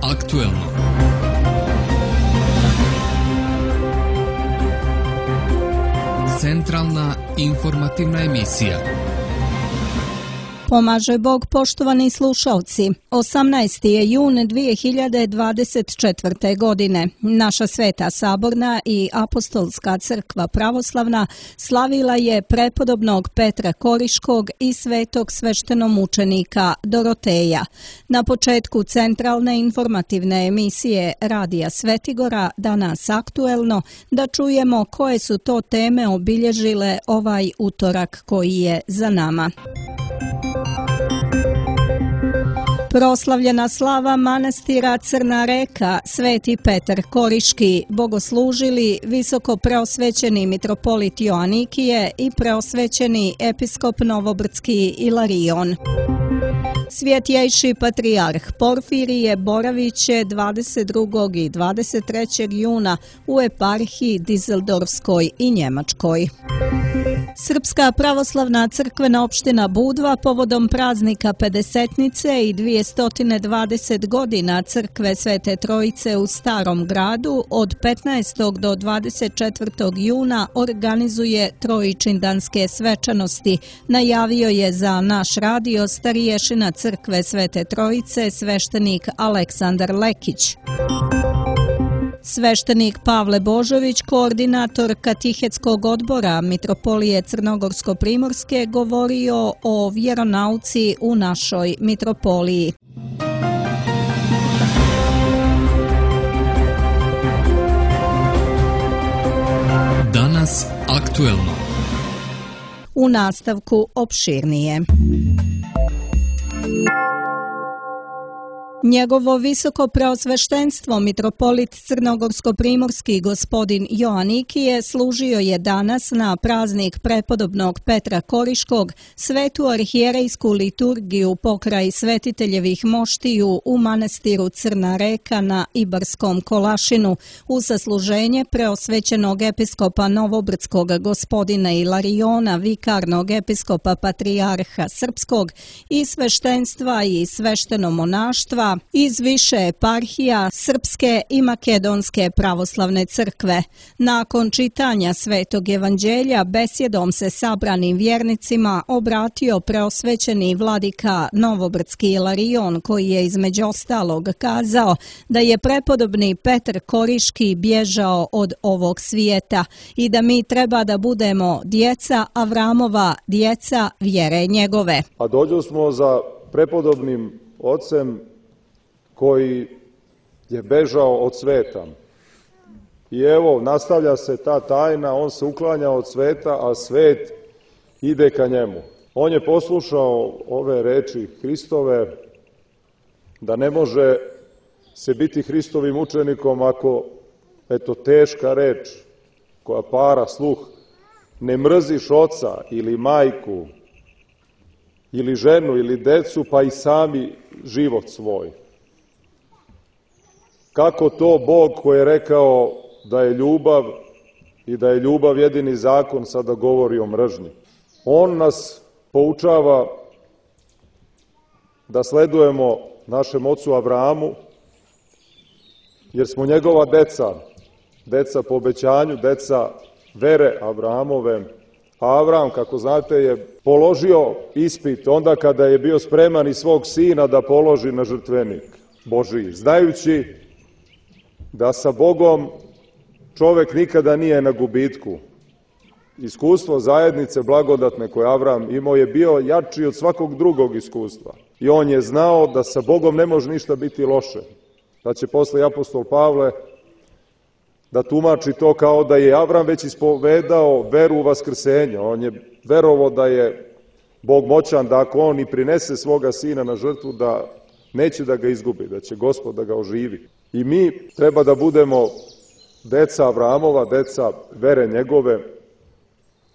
aktuelno. Centralna informativna emisija. Pomaže Bog, poštovani slušalci. 18. je jun 2024. godine. Naša Sveta Saborna i Apostolska crkva pravoslavna slavila je prepodobnog Petra Koriškog i svetog sveštenomučenika Doroteja. Na početku centralne informativne emisije Radija Svetigora, danas aktuelno, da čujemo koje su to teme obilježile ovaj utorak koji je za nama. Proslavljena slava manastira Crna Reka, Sveti Petar Koriški, bogoslužili visoko preosvećeni mitropolit Joanikije i preosvećeni episkop Novobrdski Ilarion. Svjetjejši patrijarh Porfirije boravit će 22. i 23. juna u eparhiji Dizeldorfskoj i Njemačkoj. Srpska pravoslavna crkvena opština Budva povodom praznika Pedesetnice i 220 godina crkve Svete Trojice u Starom gradu od 15. do 24. juna organizuje trojičindanske svečanosti, najavio je za naš radio stariješina crkve Svete Trojice sveštenik Aleksandar Lekić. Sveštenik Pavle Božović, koordinator Katihetskog odbora Mitropolije Crnogorsko-Primorske, govorio o vjeronauci u našoj mitropoliji. Danas aktuelno. U nastavku opširnije. Njegovo visoko preosveštenstvo mitropolit Crnogorsko-Primorski gospodin Joanikije služio je danas na praznik prepodobnog Petra Koriškog svetu arhijerejsku liturgiju pokraj svetiteljevih moštiju u manastiru Crna Reka na Ibarskom Kolašinu u sasluženje preosvećenog episkopa Novobrdskog gospodina Ilariona, vikarnog episkopa patrijarha Srpskog i sveštenstva i sveštenomonaštva iz više eparhija Srpske i Makedonske pravoslavne crkve. Nakon čitanja Svetog evanđelja besjedom se sabranim vjernicima obratio preosvećeni vladika Novobrdski Ilarion, koji je između ostalog kazao da je prepodobni Petar Koriški bježao od ovog svijeta i da mi treba da budemo djeca Avramova, djeca vjere njegove. A dođo smo za prepodobnim ocem koji je bežao od sveta. I evo, nastavlja se ta tajna, on se uklanja od sveta, a svet ide ka njemu. On je poslušao ove reči Hristove, da ne može se biti Hristovim učenikom ako, eto, teška reč koja para sluh, ne mrziš oca ili majku, ili ženu, ili decu, pa i sami život svoj. Kako to Bog koji je rekao da je ljubav i da je ljubav jedini zakon, sada govori o mržnji? On nas poučava da sledujemo našem ocu Avramu, jer smo njegova deca po obećanju, deca vere Avramove. A Avram, kako znate, je položio ispit onda kada je bio spreman i svog sina da položi na žrtvenik Božiji, znajući da sa Bogom čovek nikada nije na gubitku. Iskustvo zajednice blagodatne koje Avram imao je bio jači od svakog drugog iskustva. I on je znao da sa Bogom ne može ništa biti loše. Da će posle apostol Pavle da tumači to kao da je Avram već ispovedao veru u vaskrsenje. On je verovao da je Bog moćan, da ako on i prinese svoga sina na žrtvu, da neće da ga izgubi, da će Gospod da ga oživi. I mi treba da budemo deca Avramova, deca vere njegove,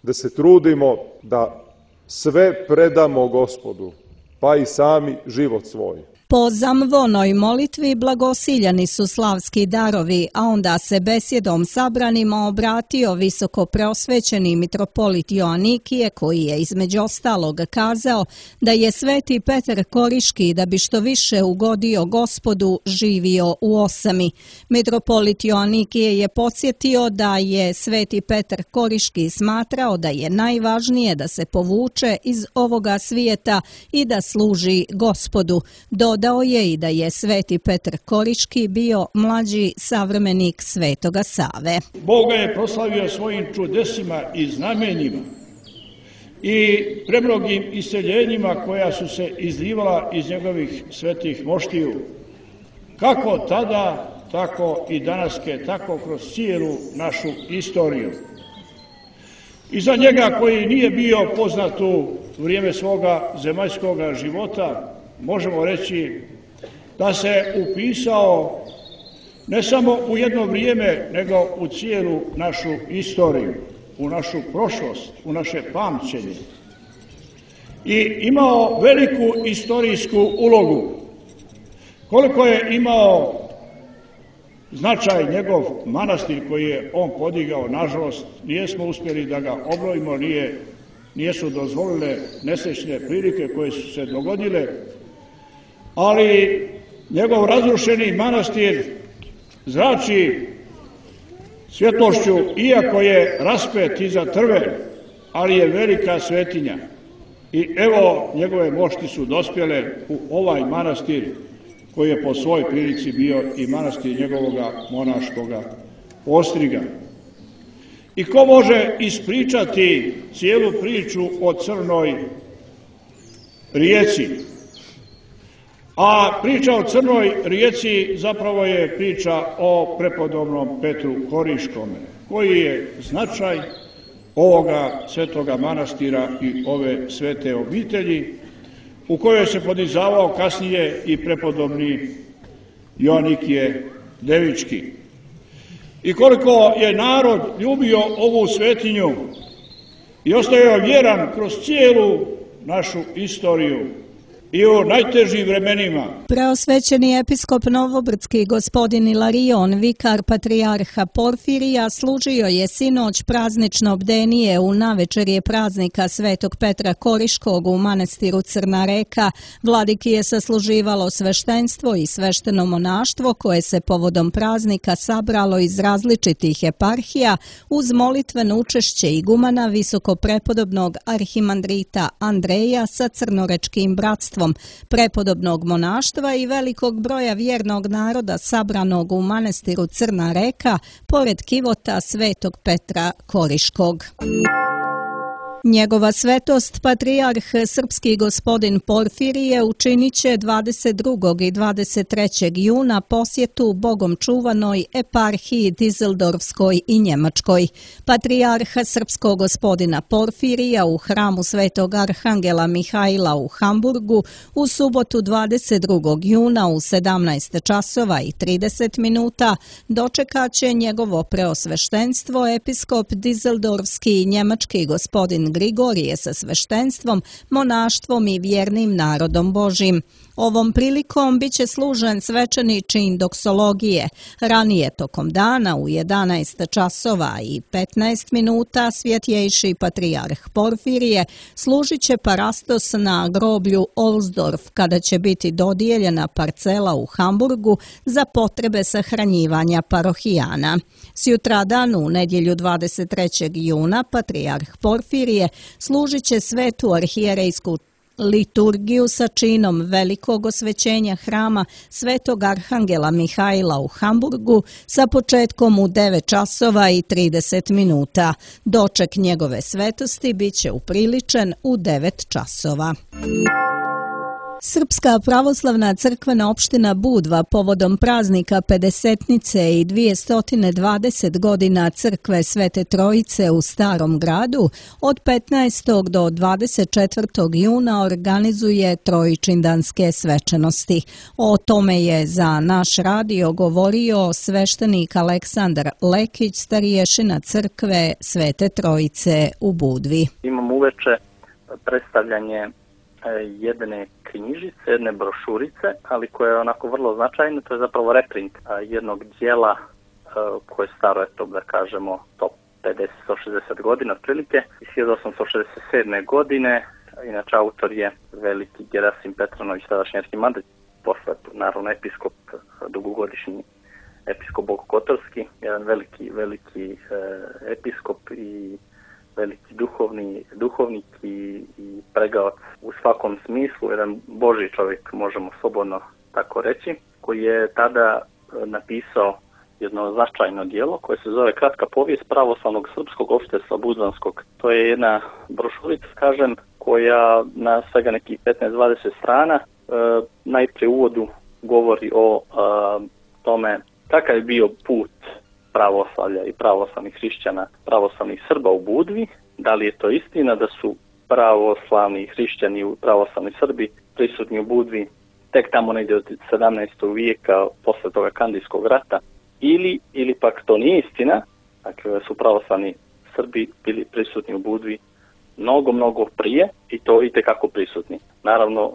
da se trudimo da sve predamo Gospodu, pa i sami život svoj. Po zamvonoj molitvi blagosiljani su slavski darovi, a onda se besjedom sabranima obratio visoko preosvećeni mitropolit Joanikije, koji je između ostalog kazao da je sveti Petar Koriški, da bi što više ugodio Gospodu, živio u osami. Mitropolit Joanikije je podsjetio da je sveti Petar Koriški smatrao da je najvažnije da se povuče iz ovoga svijeta i da služi Gospodu. Dodao je i da je sveti Petar Koriški bio mlađi savremenik svetoga Save. Bog ga je proslavio svojim čudesima i znamenjima i premnogim iseljenjima koja su se izlivala iz njegovih svetih moštiju. Kako tada, tako i danaske, tako kroz cijelu našu istoriju. I za njega koji nije bio poznat u vrijeme svoga zemaljskog života, možemo reći da se upisao ne samo u jedno vrijeme, nego u cijelu našu istoriju, u našu prošlost, u naše pamćenje. I imao veliku istorijsku ulogu. Koliko je imao značaj njegov manastir koji je on podigao, nažalost, nijesmo uspjeli da ga obnovimo, nijesu dozvolile nesrećne prilike koje su se dogodile, ali njegov razrušeni manastir zrači svjetlošću, iako je raspet iza trve, ali je velika svetinja. I evo, njegove mošti su dospjele u ovaj manastir koji je po svojoj prilici bio i manastir njegovoga monaškoga postriga. I ko može ispričati cijelu priču o Crnoj rijeci? A priča o Crnoj rijeci zapravo je priča o prepodobnom Petru Koriškome, koji je značaj ovoga svetoga manastira i ove svete obitelji, u kojoj se podizavao kasnije i prepodobni Joanikije Devički. I koliko je narod ljubio ovu svetinju i ostajao vjeran kroz cijelu našu istoriju i u najtežim vremenima. Preosvećeni episkop Novobrdski gospodin Ilarion, vikar patrijarha Porfirija, služio je sinoć praznično bdenije u navečerje praznika svetog Petra Koriškog u manastiru Crna Reka. Vladiki je sasluživalo sveštenstvo i svešteno monaštvo koje se povodom praznika sabralo iz različitih eparhija uz molitveno učešće igumana visoko prepodobnog arhimandrita Andreja sa crnorečkim bratstvom, prepodobnog monaštva i velikog broja vjernog naroda sabranog u manastiru Crna Reka pored kivota svetog Petra Koriškog. Njegova svetost, patrijarh srpski gospodin Porfirije, učinit će 22. i 23. juna posjetu bogom čuvanoj eparhiji Dizeldorfskoj i Njemačkoj. Patrijarha srpskog gospodina Porfirija u hramu svetog arhangela Mihajla u Hamburgu u subotu 22. juna u 17 časova i 30 minuta dočekat će njegovo preosveštenstvo episkop Dizeldorfski i njemački gospodin Grigorije sa sveštenstvom, monaštvom i vjernim narodom Božim. Ovom prilikom bit će služen svečani čin doksologije. Ranije tokom dana u 11 časova i 15 minuta svjetjejši patrijarh Porfirije služit će parastos na groblju Olsdorf, kada će biti dodijeljena parcela u Hamburgu za potrebe sahranjivanja parohijana. Sjutradan u nedjelju 23. juna patrijarh Porfirije služit će svetu arhijerejsku liturgiju sa činom velikog osvećenja hrama svetog arhangela Mihajla u Hamburgu sa početkom u 9 časova i 30 minuta. Doček njegove svetosti bit će upriličen u 9 časova. Srpska pravoslavna crkvena opština Budva povodom praznika Pedesetnice i 220 godina crkve Svete Trojice u Starom gradu od 15. do 24. juna organizuje trojičindanske svečanosti. O tome je za naš radio govorio sveštenik Aleksandar Lekić, stariješina crkve Svete Trojice u Budvi. Imamo uveče predstavljanje jedne knjižice, jedne brošurice, ali koja je onako vrlo značajna. To je zapravo reprint jednog dijela koje je staro, eto da kažemo, 150-160 godina otprilike, iz 1867. godine. Inače, autor je veliki Gerasim Petranović, tadašnji arhimandrit, posle naravno episkop, dugogodišnji episkop Bokokotorski, jedan veliki episkop i veliki duhovnik i pregavac u svakom smislu, jedan Božji čovjek, možemo slobodno tako reći, koji je tada napisao jedno značajno djelo koje se zove Kratka povijest pravoslavnog srpskog opštestva budvanskog. To je jedna brošurica, kažem, koja na svega nekih 15-20 strana najprije u uvodu govori o tome kakav je bio put pravoslavlja i pravoslavnih hrišćana, pravoslavnih Srba u Budvi. Da li je to istina da su pravoslavni hrišćani, pravoslavni Srbi prisutni u Budvi tek tamo negdje od 17. vijeka posle toga Kandijskog rata, ili pak to nije istina, dakle su pravoslavni Srbi bili prisutni u Budvi mnogo prije i to itekako prisutni. Naravno,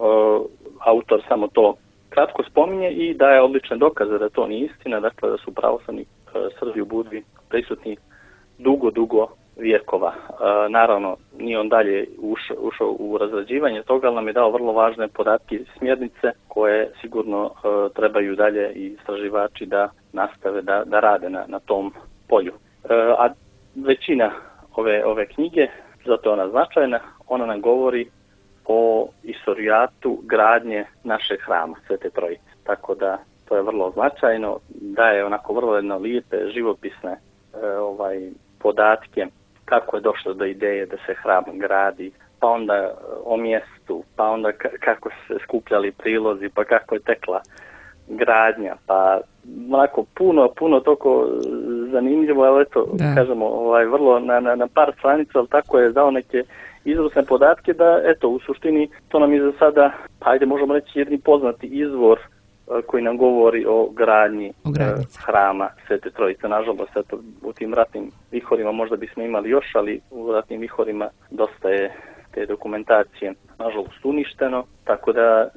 autor samo to kratko spominje i daje odlične dokaze da to nije istina, dakle da su pravoslavni Srbi u Budvi prisutni dugo vijekova. Naravno, nije on dalje ušao u razrađivanje toga, ali nam je dao vrlo važne podatke i smjernice koje sigurno trebaju dalje i istraživači da nastave da rade na tom polju. A većina ove knjige, zato je ona značajna, ona nam govori o istorijatu gradnje našeg hrama, Svete Trojice. Tako da to je vrlo značajno, daje onako vrlo jedno lijepe, živopisne podatke kako je došlo do ideje da se hram gradi, pa onda o mjestu, pa onda kako se skupljali prilozi, pa kako je tekla gradnja, pa onako puno toliko zanimljivo, ali eto, kažemo, vrlo na par stranica, ali tako je dao neke izvrsne podatke da, eto, u suštini to nam je za sada, ajde možemo reći, jedni poznati izvor koji nam govori o gradnji hrama Svete Trojice. Nažalost, eto, u tim ratnim vihorima možda bismo imali još, ali u ratnim vihorima dosta je te dokumentacije nažalost uništeno, tako da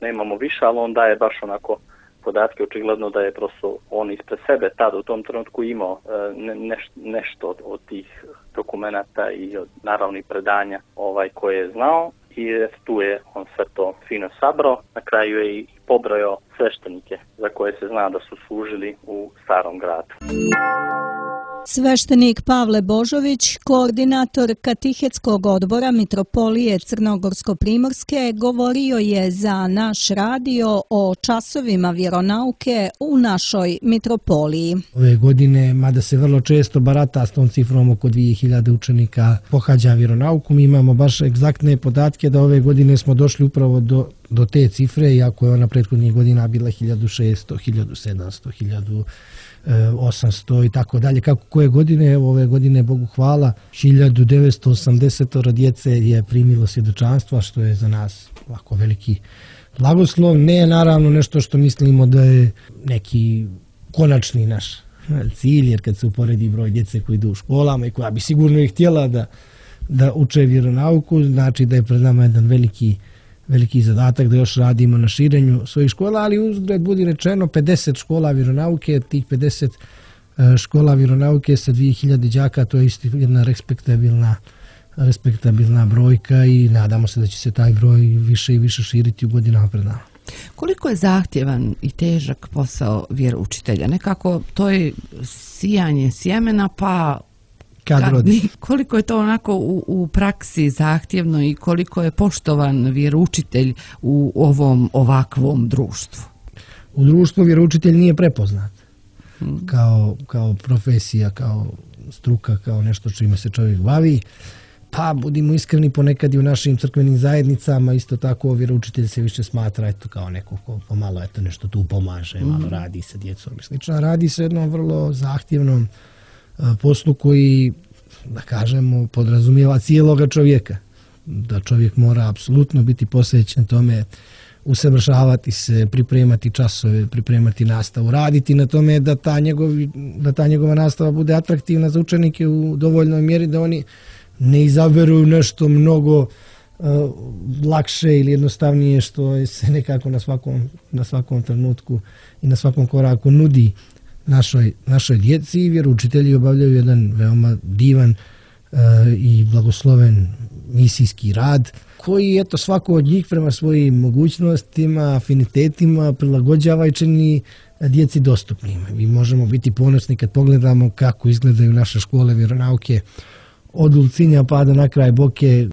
nemamo više, ali on daje baš onako podatke, očigledno da je prosto on ispred sebe tada u tom trenutku imao nešto od tih dokumenata i od naravnih predanja koje je znao. I tu je on sve to fino sabrao. Na kraju je i pobrojao sveštenike za koje se zna da su služili u Starom gradu. Sveštenik Pavle Božović, koordinator Katehetskog odbora Mitropolije Crnogorsko-primorske, govorio je za naš radio o časovima vjeronauke u našoj mitropoliji. Ove godine, mada se vrlo često barata s tom cifrom, oko 2000 učenika pohađa vjeronauku, mi imamo baš egzaktne podatke da ove godine smo došli upravo do te cifre, iako je ona prethodnih godina bila 1600, 1700, 1800 i tako dalje. Kako koje godine, ove godine, Bogu hvala, 1980 djece je primilo svjedočanstva, što je za nas ovako veliki blagoslov. Ne naravno nešto što mislimo da je neki konačni naš cilj, jer kad se uporedi broj djece koji idu u školama i koja bi sigurno ih htjela da uče vjeronauku, znači da je pred nama jedan veliki zadatak da još radimo na širenju svojih škola, ali uzgled budi rečeno 50 škola vjeronauke, tih 50 škola vjeronauke sa 2000 đaka, to je isto jedna respektabilna brojka i nadamo se da će se taj broj više i više širiti u godinama pred nama. Koliko je zahtjevan i težak posao vjeroučitelja? Nekako to je sijanje sjemena pa koliko je to onako u praksi zahtjevno i koliko je poštovan vjeroučitelj u ovom ovakvom društvu? U društvu vjeroučitelj nije prepoznat kao profesija, kao struka, kao nešto čime se čovjek bavi. Pa budimo iskreni, ponekad i u našim crkvenim zajednicama isto tako vjeroučitelj se više smatra kao neko ko pomalo nešto tu pomaže, malo radi sa djecom i slično. Radi se jednom vrlo zahtjevnom poslu koji, da kažemo, podrazumijeva cijeloga čovjeka. Da čovjek mora apsolutno biti posvećen tome, usavršavati se, pripremati časove, pripremati nastavu, raditi na tome da ta njegova nastava bude atraktivna za učenike u dovoljnoj mjeri da oni ne izaberu nešto mnogo lakše ili jednostavnije što se nekako na svakom trenutku i na svakom koraku nudi našoj djeci i vjeroučitelji obavljaju jedan veoma divan i blagosloven misijski rad koji svako od njih prema svojim mogućnostima, afinitetima prilagođava i čini djeci dostupnima. Mi možemo biti ponosni kad pogledamo kako izgledaju naše škole vjeronauke od Ulcinja pa do na kraj Boke.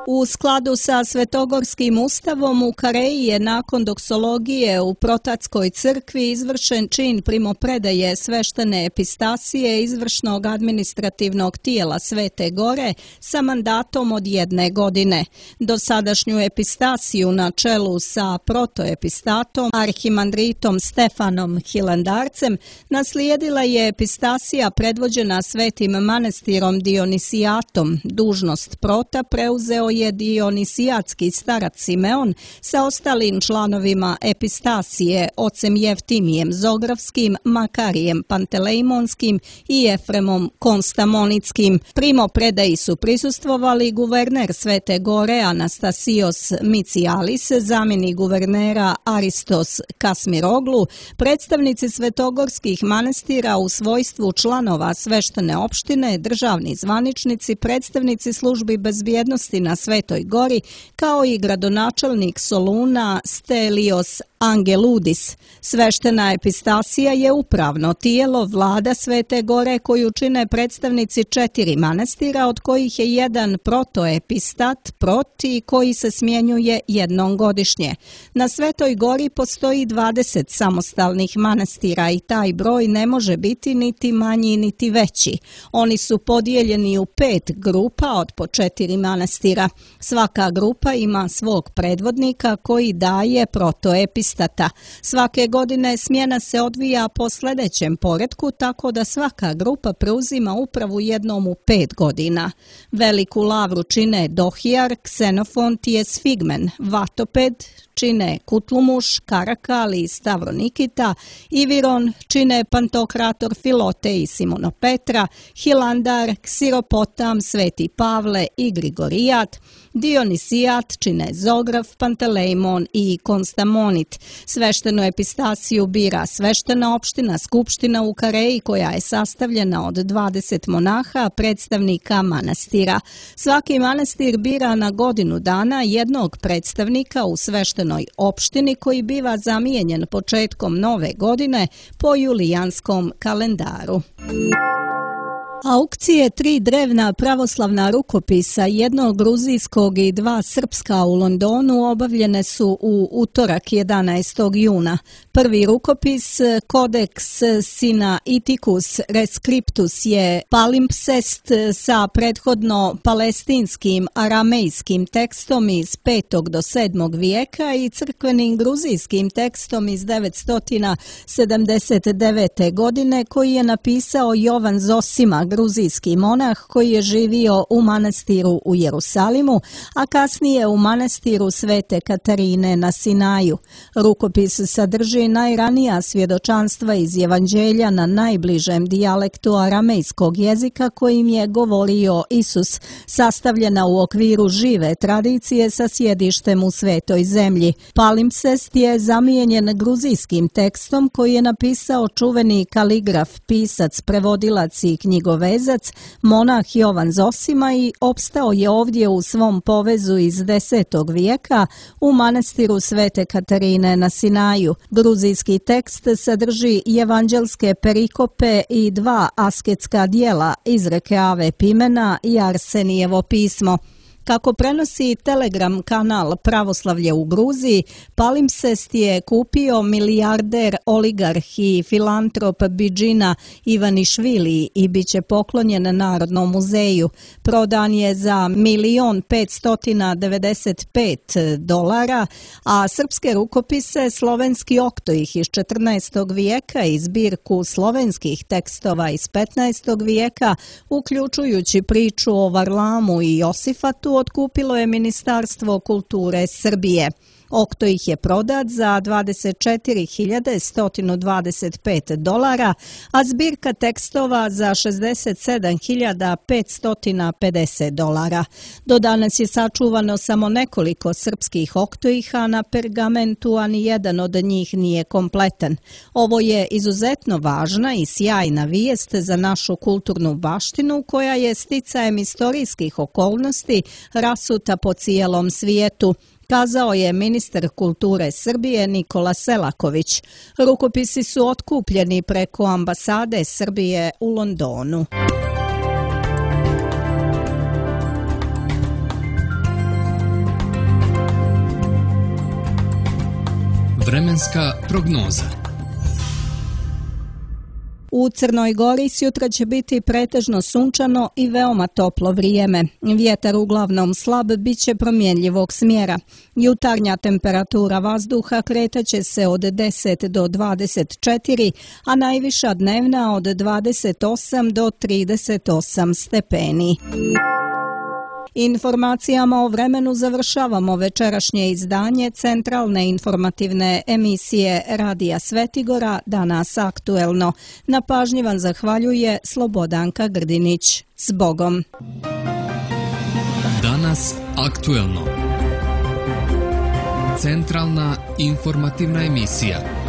U skladu sa Svetogorskim ustavom u Kareji je nakon doksologije u Protatskoj crkvi izvršen čin primopredaje sveštene epistasije izvršnog administrativnog tijela Svete Gore sa mandatom od 1 godine. Dosadašnju epistasiju na čelu sa protoepistatom arhimandritom Stefanom Hilandarcem naslijedila je epistasija predvođena Svetim manastirom Dionisijatom. Dužnost prota preuzeo je dionisijatski starac Simeon sa ostalim članovima epistasije, ocem Jeftimijem Zografskim, Makarijem Pantelejmonskim i Efremom Konstamonitskim. Primopredaji su prisustvovali guverner Svete Gore Anastasios Micialis, zamjenik guvernera Aristos Kasmiroglu, predstavnici svetogorskih manastira u svojstvu članova sveštene opštine, državni zvaničnici, predstavnici službi bezbjednosti na Svetoj Gori, kao i gradonačelnik Soluna Stelios Angeludis. Sveštena epistasija je upravno tijelo vlada Svete Gore koju čine predstavnici 4 manastira, od kojih je jedan protoepistat proti koji se smjenjuje jednom godišnje. Na Svetoj Gori postoji 20 samostalnih manastira i taj broj ne može biti niti manji niti veći. Oni su podijeljeni u 5 grupa od po 4 manastira. Svaka grupa ima svog predvodnika koji daje protoepistata. Svake godine smjena se odvija po sljedećem poretku, tako da svaka grupa preuzima upravu jednom u 5 godina. Veliku lavru čine Dohijar, Ksenofonti, Esfigmen, Vatoped, čine Kutlumuš, Karakal i Stavronikita, Iviron čine Pantokrator Filote i Simonopetra, Hilandar, Ksiropotam, Sveti Pavle i Grigorijat, Dionisijat čine Zograf, Pantelejmon i Konstamonit. Sveštenu epistasiju bira sveštena opština skupština u Kareji koja je sastavljena od 20 monaha, predstavnika manastira. Svaki manastir bira na godinu dana jednog predstavnika u sveštenoj opštini koji biva zamijenjen početkom nove godine po julijanskom kalendaru. Aukcije 3 drevna pravoslavna rukopisa, jednog gruzijskog i 2 srpska u Londonu obavljene su u utorak 11. juna. Prvi rukopis, Codex Sinaiticus Rescriptus, je palimpsest sa prethodno palestinskim aramejskim tekstom iz 5. do 7. vijeka i crkvenim gruzijskim tekstom iz 979. godine koji je napisao Jovan Zosima, gruzijski monah koji je živio u manastiru u Jerusalimu, a kasnije u manastiru Svete Katarine na Sinaju. Rukopis sadrži najranija svjedočanstva iz Evanđelja na najbližem dijalektu aramejskog jezika kojim je govorio Isus, sastavljena u okviru žive tradicije sa sjedištem u Svetoj zemlji. Palimpsest je zamijenjen gruzijskim tekstom koji je napisao čuveni kaligraf, pisac, prevodilac i knjigovezac, monah Jovan Zosima i opstao je ovdje u svom povezu iz 10. vijeka u manastiru Svete Katarine na Sinaju. Gruzijski tekst sadrži evanđelske perikope i 2 asketska dijela, izreke Ave Pimena i Arsenijevo pismo. Kako prenosi Telegram kanal Pravoslavlje u Gruziji, palimpsest je kupio milijarder, oligarh i filantrop Bidžina Ivanišvili i bit će poklonjen Narodnom muzeju. Prodan je za $1.595, a srpske rukopise Slovenski oktoih iz 14. vijeka i zbirku slovenskih tekstova iz 15. vijeka, uključujući priču o Varlamu i Josifatu, otkupilo je Ministarstvo kulture Srbije. Okto ih je prodat za $24.125, a zbirka tekstova za $67.550. Do danas je sačuvano samo nekoliko srpskih oktoiha na pergamentu, a nijedan od njih nije kompletan. Ovo je izuzetno važna i sjajna vijest za našu kulturnu baštinu koja je sticajem istorijskih okolnosti rasuta po cijelom svijetu, kazao je ministar kulture Srbije Nikola Selaković. Rukopisi su otkupljeni preko ambasade Srbije u Londonu. Vremenska prognoza. U Crnoj Gori sjutra će biti pretežno sunčano i veoma toplo vrijeme. Vjetar uglavnom slab, bit će promjenljivog smjera. Jutarnja temperatura vazduha kretaće se od 10 do 24, a najviša dnevna od 28 do 38 stepeni. Informacijama o vremenu završavamo večerašnje izdanje centralne informativne emisije Radija Svetigora Danas aktuelno. Na pažnji vam zahvaljuje Slobodanka Grdinić. S Bogom! Danas aktuelno. Centralna informativna emisija.